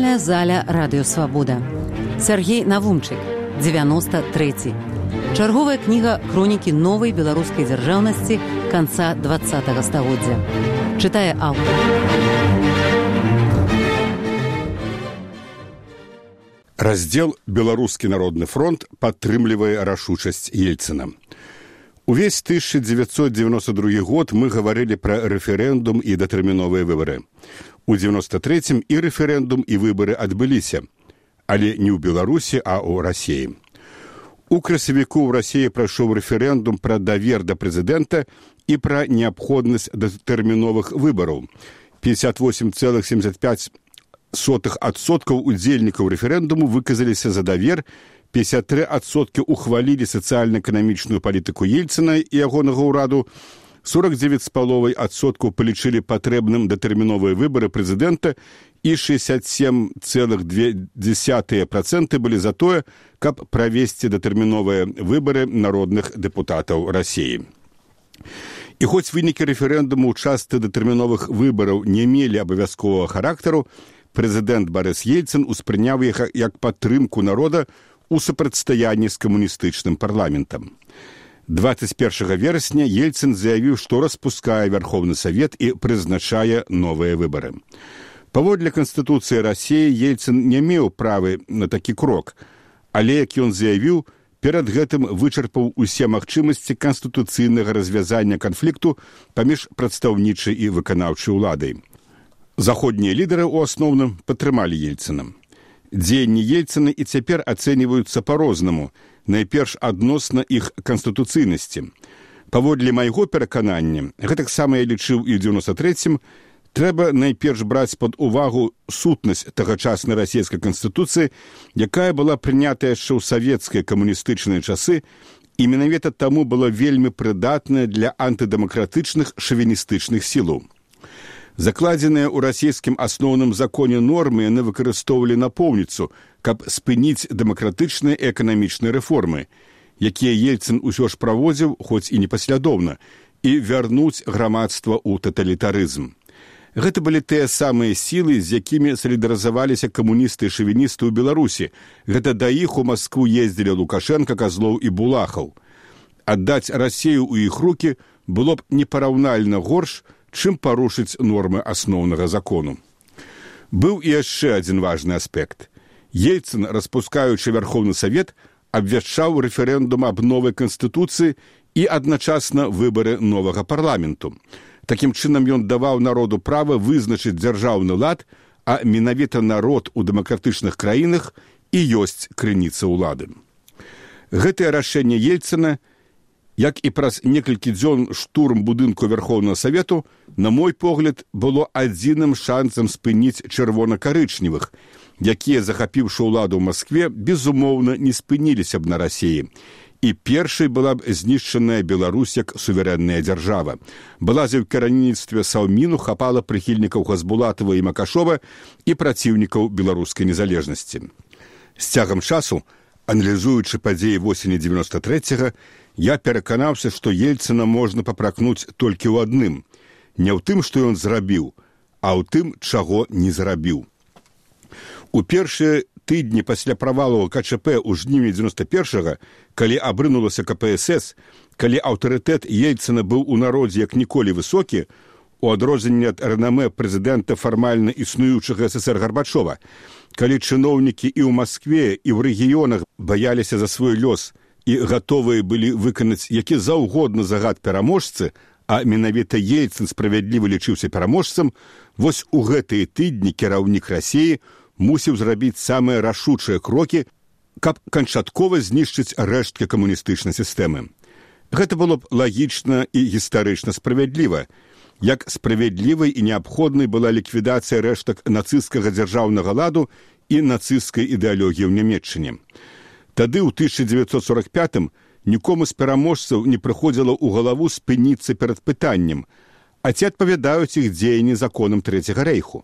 Чытальная заля радыёвабода. Сяргей Навумчык, 93. Чарговая кніга хронікі новай беларускай дзяржаўнасці канца 20-го стагоддзя. Чытае аўтар. Раздзел «Беларускі народны фронт» падтрымлівае рашучасць Ельцына. Увесь 1992 год мы гаварылі пра рэферэндум і датэрміновыя выбары. У 93-м і рэферэндум, і выбары адбыліся, але не ў Беларусі, а ў Расіі. У красавіку ў Расіі прайшоў рэферэндум пра давер да прэзідэнта і пра неабходнасць датэрміновых выбараў. 58,75% удзельнікаў рэферэндуму выказаліся за давер, 53% ухвалілі сацыяльна-эканамічную палітыку Ельцына і ягонага ўраду, 49,5% палічылі патрэбным датэрміновыя выбары прэзідэнта і 67,2% былі за тое, каб правесці датэрміновыя выбары народных дэпутатаў Расіі. І хоць вынікі рэферэндуму ў частцы датэрміновых выбараў не мелі абавязковага характару, прэзідэнт Барыс Ельцын успрыняў іх як падтрымку народа у супрацьстаянні з камуністычным парламентам. 21 верасня Ельцын заявіў, што распускае Верховны Савет і прызначае новыя выбары. Паводле Канстытуцыі Расіі Ельцын не меў правы на такі крок, але, як ён заявіў, перад гэтым вычарпаў усе магчымасці канстытуцыйнага развязання канфлікту паміж прадстаўнічай і выканаўчай уладай. Заходнія лідары ў асноўным падтрымалі Ельцына. Дзеянні Ельцына і цяпер ацэньваюцца па-рознаму, найперш адносна іх канстытуцыйнасці. Паводле майго пераканання, гэтаксама я лічыў і ў 93-м, трэба найперш браць пад увагу сутнасць тагачаснай расійскай канстытуцыі, якая была прынятая яшчэ ў савецкія камуністычныя часы і менавіта таму была вельмі прыдатная для антыдэмакратычных шавіністычных сілаў. Закладзеныя ў расійскім асноўным законе нормы яны выкарыстоўвалі напоўніцу, каб спыніць дэмакратычныя і эканамічныя рэформы, якія Ельцын усё ж праводзіў, хоць і непаслядоўна, і вярнуць грамадства ў таталітарызм. Гэта былі тыя самыя сілы, з якімі салідарызаваліся камуністы і шавіністы ў Беларусі. Гэта да іх у Маскву ездзілі Лукашенка, Казлоў і Булахаў. Аддаць Расію ў іх рукі было б непараўнальна горш, чым парушыць нормы асноўнага закону. Быў і яшчэ адзін важны аспект. Ельцын, распускаючы Верховны Савет, абвяшчаў рэферэндум аб новай канстытуцыі і адначасна выбары новага парламенту. Такім чынам ён даваў народу права вызначыць дзяржаўны лад, а менавіта народ у дэмакратычных краінах і ёсць крыніца ўлады. Гэтае рашэнне Ельцына, як і праз некалькі дзён штурм будынку Верховнага Савету, на мой погляд, было адзіным шансам спыніць чырвона-карычневых, якія, захапіўшы ўладу ў Маскве, безумоўна, не спыніліся б на Расіі. І першай была б знішчаная Беларусь як суверэнная дзяржава. Балазе ў кіраўніцтве Саўміну хапала прыхільнікаў Хасбулатава і Макашова і праціўнікаў беларускай незалежнасці. З цягам часу, аналізуючы падзеі восені 93-го, я пераканаўся, што Ельцына можна папракнуць толькі ў адным. Не ў тым, што ён зрабіў, а ў тым, чаго не зрабіў. У першыя тыдні пасля правалу КЧП ў жніўні 91-го, калі абрынулася КПСС, калі аўтарытэт Ельцына быў у народзе як ніколі высокі, у адрозненне ад рэнамэ прэзідэнта фармальна існуючага СССР Гарбачова, калі чыноўнікі і ў Маскве, і ў рэгіёнах баяліся за свой лёс і гатовыя былі выканаць які заўгодна загад пераможцы, а менавіта Ельцын справядліва лічыўся пераможцам, вось у гэтыя тыдні кіраўнік Расіі мусіў зрабіць самыя рашучыя крокі, каб канчаткова знішчыць рэшткі камуністычнай сістэмы. Гэта было б лагічна і гістарычна справядліва, як справядлівай і неабходнай была ліквідацыя рэштак нацысцкага дзяржаўнага ладу і нацысцкай ідэалогіі ў Нямецчыне. Тады, ў 1945-м, нікому з пераможцаў не прыходзіла ў галаву спыніцца перад пытаннем, а ці адпавядаюць іх дзеянні законам Трэцяга рэйху.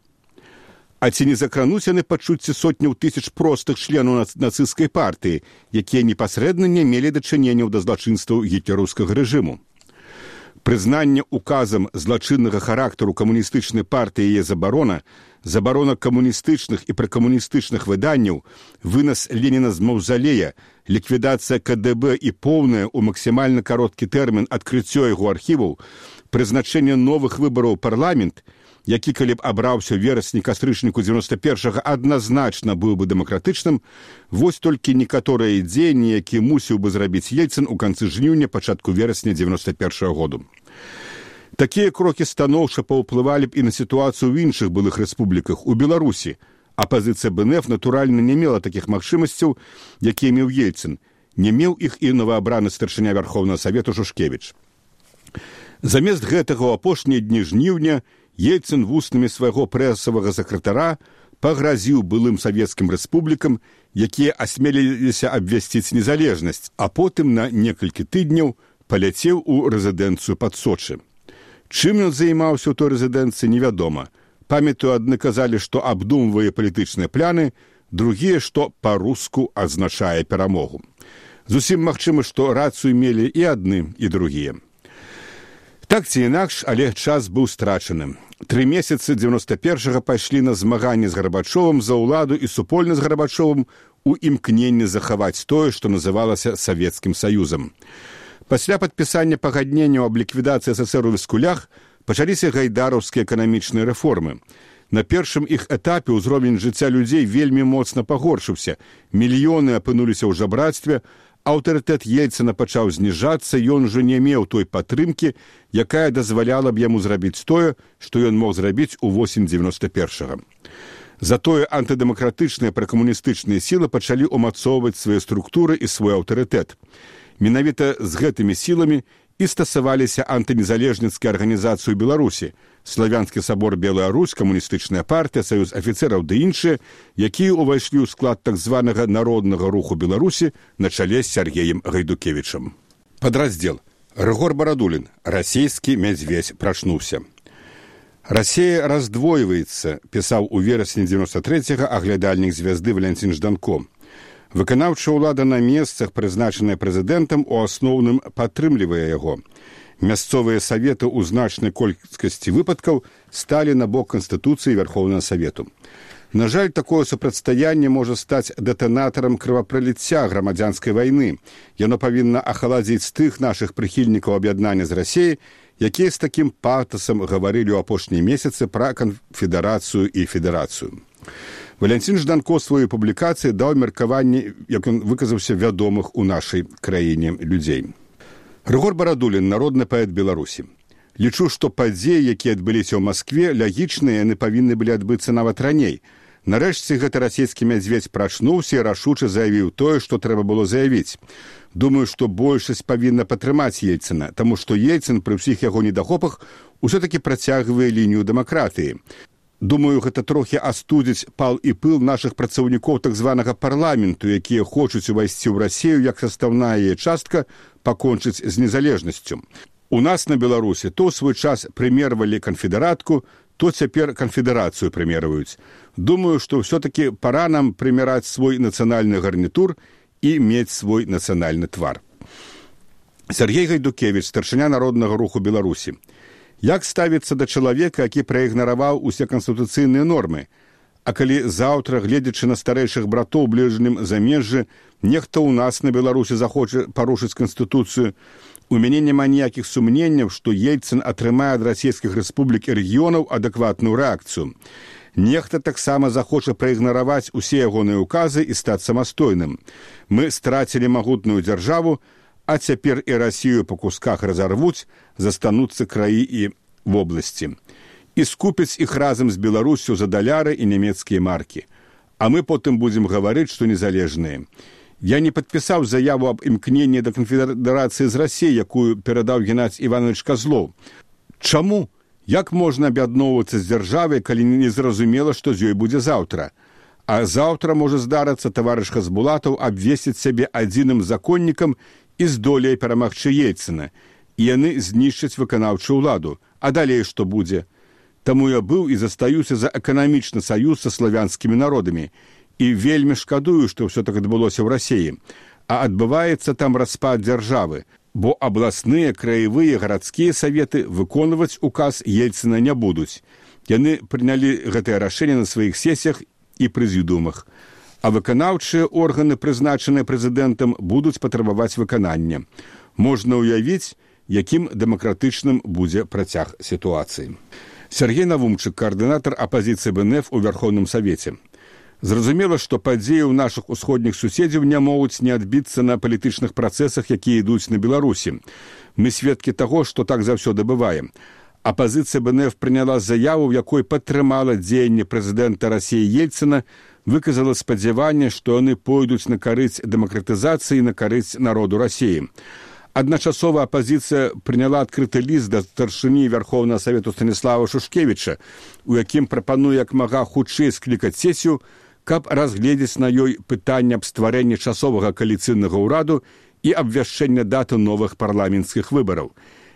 А ці не закрануць яны пачуцці сотняў тысяч простых членаў нацысцкай партыі, якія непасрэдна не мелі дачыненняў да злачынстваў гітлераўскага рэжыму. Прызнанне указам злачыннага характару камуністычнай партыі і яе забарона забарона камуністычных і пракамуністычных выданняў, вынас Леніна з маўзалея, ліквідацыя КДБ і поўнае ў максімальна кароткі тэрмін адкрыццё яго архіваў, прызначэнне новых выбараў у парламент, які, калі б абраўся ў верасні-кастрычніку 91-го, адназначна быў бы дэмакратычным, вось толькі некаторыя дзеянні, які мусіў бы зрабіць Ельцын у канцы жніўня, пачатку верасня 91-го году. Такія крокі станоўча паўплывалі б і на сітуацыю ў іншых былых рэспубліках. У Беларусі апазіцыя БНФ, натуральна, не мела такіх магчымасцяў, якія меў Ельцын. Не меў іх і новаабраны старшыня Вярхоўнага Савету Шушкевіч. Замест гэтага ў апошнія дні жніўня Ельцын вуснамі свайго прэсавага сакратара пагразіў былым савецкім рэспублікам, якія асмеліліся абвясціць незалежнасць, а потым на некалькі тыдняў паляцеў у рэзідэнцыю пад Сочы. Чым ён займаўся ў той рэзідэнцыі, невядома. Памятаю, адны казалі, што абдумвае палітычныя пляны, другія, што па-руску азначае перамогу. Зусім магчыма, што рацыю мелі і адны, і другія. Так ці інакш, але час быў страчаным. 3 месяцы 91-го пайшлі на змаганне з Гарбачовым за ўладу і супольна з Гарбачовым у імкненні захаваць тое, што называлася Савецкім Саюзам. Пасля падпісання пагадненняў аб ліквідацыі СССР у Віскулях пачаліся гайдараўскія эканамічныя рэформы. На першым іх этапе ўзровень жыцця людзей вельмі моцна пагоршыўся. Мільёны апынуліся ў жабрацтве, аўтарытэт Ельцына пачаў зніжацца, ён ужо не меў той падтрымкі, якая дазваляла б яму зрабіць тое, што ён мог зрабіць у восень 91-го. Затое антыдэмакратычныя пракамуністычныя сілы пачалі ўмацоўваць свае структуры і свой аўтарытэт. Менавіта з гэтымі сіламі і стасаваліся антынезалежніцкія арганізацыі ў Беларусі, Славянскі сабор Белая Русь, Камуністычная партыя, Саюз афіцэраў ды іншыя, якія ўвайшлі ў склад так званага народнага руху Беларусі на чале з Сергеем Гайдукевічам. Падраздзел. Рыгор Барадулін. Расійскі мядзведзь прачнуўся. «Расія раздвойваецца», пісаў у верасні 93-го аглядальнік звязды Валянцін Жданко. Выканаўчая ўлада на месцах, прызначаная прэзідэнтам, у асноўным падтрымлівае яго. Мясцовыя саветы ў значнай колькасці выпадкаў сталі на бок Канстытуцыі Вярхоўнага Савету. На жаль, такое супрацьстаянне можа стаць дэтанатарам крывапраліцця грамадзянскай вайны. Яно павінна ахаладзіць тых нашых прыхільнікаў аб'яднання з Расіяй, якія з такім патасам гаварылі ў апошнія месяцы пра канфедэрацыю і федэрацыю. Валянцін Жданко сваёй публікацыі даў меркаванне, як ён выказаўся, вядомых у нашай краіне людзей. Рыгор Барадулін, народны паэт Беларусі. Лічу, што падзеі, якія адбыліся ў Маскве, лягічныя, яны павінны былі адбыцца нават раней. Нарэшце гэты расійскі мядзведзь прачнуўся і рашуча заявіў тое, што трэба было заявіць. Думаю, што большасць павінна падтрымаць Ельцына, таму што Ельцын пры ўсіх яго недахопах усё-такі працягвае лінію дэмакратыі. Думаю, гэта трохі астудзіць пал і пыл нашых працаўнікоў так званага парламенту, якія хочуць увайсці ў Расію як састаўная яе частка пакончыць з незалежнасцю. У нас на Беларусі то ў свой час прымервалі канфедэратку, то цяпер канфедэрацыю прымерваюць. Думаю, што ўсё-такі пара нам прымераць свой нацыянальны гарнітур і мець свой нацыянальны твар. Сергей Гайдукевіч, старшыня народнага руху Беларусі. Як ставіцца да чалавека, які праігнараваў усе канстытуцыйныя нормы? А калі заўтра, гледзячы на старэйшых братоў у бліжнім замежжы, нехта ў нас на Беларусі захоча парушыць канстытуцыю, у мяне няма ніякіх сумненняў, што Ельцын атрымае ад расійскіх рэспублік і рэгіёнаў адэкватную рэакцыю. Нехта таксама захоча праігнараваць усе ягоныя ўказы і стаць самастойным. Мы страцілі магутную дзяржаву, а цяпер і Расію па кусках разарвуць, застануцца краі і вобласці. І скупяць іх разам з Беларусю за даляры і нямецкія маркі. А мы потым будзем гаварыць, што незалежныя. Я не падпісаў заяву аб імкненні да канфедэрацыі з Расіяй, якую перадаў Геннадзь Іванович Казлоў. Чаму? Як можна аб'ядноўвацца з дзяржавай, калі не зразумела, што з ёй будзе заўтра? А заўтра можа здарыцца таварыш Хасбулатаў абвесціць сябе адзіным законнікам і здолее перамагчы Ельцына. І яны знішчаць выканаўчую ўладу. А далей што будзе? Таму я быў і застаюся за эканамічны саюз са славянскімі народамі. І вельмі шкадую, што ўсё так адбылося ў Расіі. А адбываецца там распад дзяржавы. бо абласныя, краевыя, гарадскія саветы выконваць указ Ельцына не будуць. Яны прынялі гэтае рашэнне на сваіх сесіях і прэзідыумах, а выканаўчыя органы, прызначаныя прэзідэнтам, будуць патрабаваць выканання. Можна ўявіць, якім дэмакратычным будзе працяг сітуацыі. Сергей Навумчык, координатор оппозиции БНФ у Верховном Совете. Зразумела, што падзеі ў нашых усходніх суседзяў не могуць не адбіцца на палітычных працэсах, якія ідуць на Беларусі. Мы сведкі таго, што так заўсёды бывае. Апазіцыя БНФ прыняла заяву, в якой падтрымала дзеянне прэзідэнта Расіі Ельцына, выказала спадзяванне, што яны пойдуць на карысць дэмакратызацыі і на карысць народу Расіі. Адначасова апазіцыя прыняла адкрыты ліст да старшыні Верховнага Савету Станіслава Шушкевіча, у якім прапануе як мага хутчэй склікаць сесію, каб разгледзець на ёй пытанне аб стварэнні часовага кааліцыйнага ўраду і абвяшчэння даты новых парламенцкіх выбараў.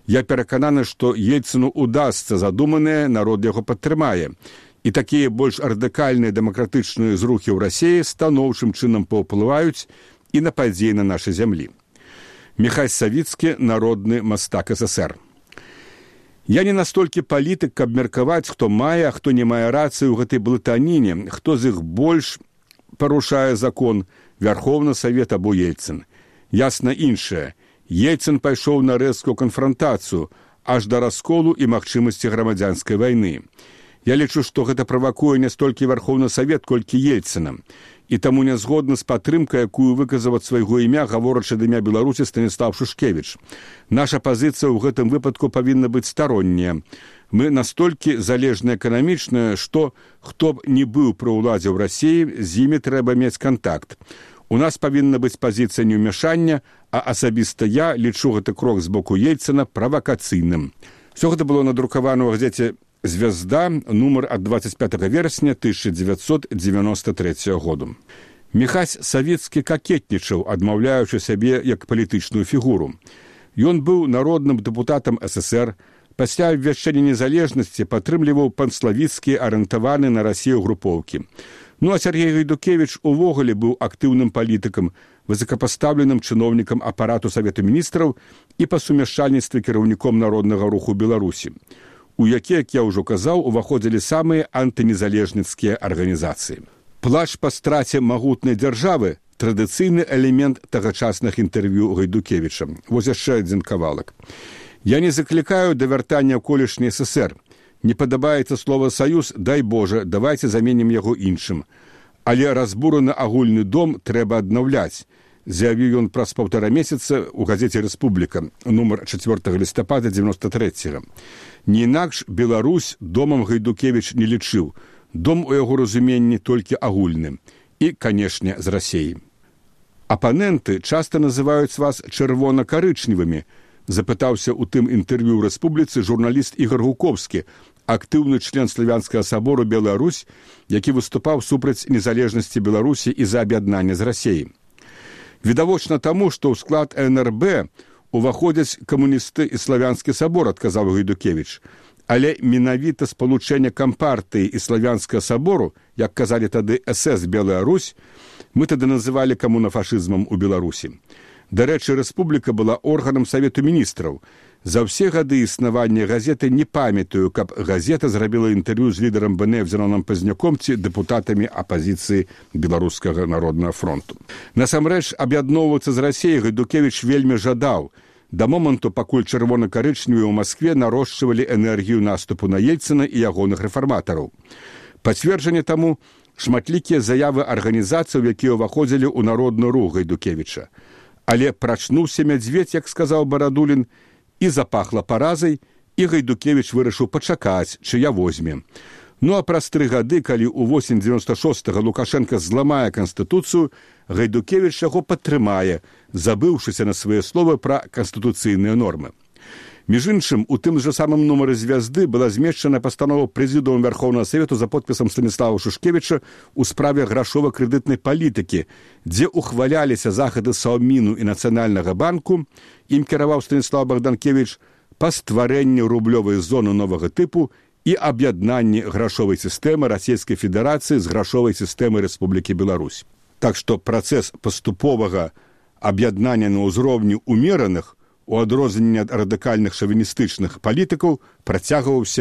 Я перакананы, што Ельцыну удасца задуманае, народ яго падтрымае. І такія больш радыкальныя дэмакратычныя зрухі ў Расіі станоўчым чынам паўплываюць і на падзеі на нашай зямлі. Михась Савіцкі, народны мастак СССР. Я не настолькі палітык, каб меркаваць, хто мае, а хто не мае рацыю ў гэтай блытаніне, хто з іх больш парушае закон, Верховны Савет або Ельцын. Ясна іншае. Ельцын пайшоў на рэзкую канфрантацыю, аж да расколу і магчымасці грамадзянскай вайны. Я лічу, што гэта правакуе не столькі Верховны Савет, колькі Ельцына. І таму не згодны з падтрымкай, якую выказаў ад свайго імя, гаворачы ад імя Беларусі Станіслав Шушкевіч. Наша пазіцыя ў гэтым выпадку павінна быць старонняя. Мы настолькі залежны эканамічна, што хто б не быў пры ўладзе ў Расіі, з імі трэба мець кантакт. У нас павінна быць пазіцыя неўмяшання, а асабіста я лічу гэты крок з боку Ельцына правакацыйным. Всё гэта было надрукавана ў газеце «Звезда», нумар ад 25 верасня 1993 году. Михась Савіцкі какетнічаў, адмаўляючы сябе як палітычную фігуру. Ён быў народным дэпутатам СССР, пасля абвяшчэння незалежнасці падтрымліваў панславіцкія арыентаваны на Расію групоўкі. Ну а Сергей Гайдукевіч увогуле быў актыўным палітыкам, высокапастаўленым чыноўнікам апарату Савету міністраў і па сумяшчальніцтве кіраўніком народнага руху Беларусі, у які, як я ўжо казаў, уваходзілі самыя антынезалежніцкія арганізацыі. Плач па страце магутнай дзяржавы – традыцыйны элемент тагачасных інтэрв'ю Гайдукевіча. Вось яшчэ адзін кавалак. Я не заклікаю да вяртання ў колішні СССР. Не падабаецца слова «саюз», дай Божа, давайце заменім яго іншым. Але разбураны агульны дом трэба аднаўляць, заявіў ён праз 1,5 месяца ў газеце «Рэспубліка», нумар 4 лістапада 93-го. Не інакш Беларусь домам Гайдукевіч не лічыў. Дом у яго разуменні толькі агульны. І, канешне, з Расіі. Апаненты часта называюць вас чырвона-карычневымі, запытаўся ў тым інтэрв'ю ў Рэспубліцы журналіст Ігор Гуковскі, актыўны член Славянскага сабору Беларусь, які выступаў супраць незалежнасці Беларусі і за аб'яднанне з Расіяй. Відавочна таму, што ў склад НРБ уваходзяць камуністы і Славянскі сабор, адказаў Гайдукевіч. Але менавіта спалучэнне Кампартыі і Славянскага сабору, як казалі тады СС Белая Русь, мы тады называлі камунафашызмам у Беларусі. Дарэчы, Рэспубліка была органам Савету міністраў. За ўсе гады існавання газеты не памятаю, каб газета зрабіла інтэрв'ю з лідарам БНФ Зеленым Пазняком ці дэпутатамі апазіцыі Беларускага народнага фронту. Насамрэч, аб'ядноўвацца з Расіяй Гайдукевіч вельмі жадаў. Да моманту, пакуль чырвона-карычневыя ў Маскве нарошчвалі энергію наступу на Ельцына і ягоных рэфарматараў. Пацверджанне таму шматлікія заявы арганізацый, якія ўваходзілі ў народны рух Гайдукевіча. Але прачнуўся мядзведь, як сказаў Барадулін, і запахла паразай, і Гайдукевіч вырашыў пачакаць, чыя возьме. Ну а праз 3 гады, калі ў восень 96-го Лукашенко зламае Канстытуцыю, Гайдукевіч яго падтрымае, забыўшыся на свае словы пра канстытуцыйныя нормы. Між іншым, у тым жа самым нумары «Звезды» была змешчана пастанова Прэзідыума Верховнага Савету за подпісам Станіслава Шушкевіча ў справе грашова-крэдытнай палітыкі, дзе ухваляліся захады Саўміну і Нацыянальнага банку, ім кіраваў Станіслав Богданкевіч, па стварэнні рублёвай зоны новага тыпу і аб'яднанні грашовай сістэмы Расійскай Федэрацыі з грашовай сістэмай Рэспублікі Беларусь. Так што працэс паступовага аб'яднання на ўзроўні умераных у адрозненне ад радыкальных шавіністычных палітыкаў, працягваўся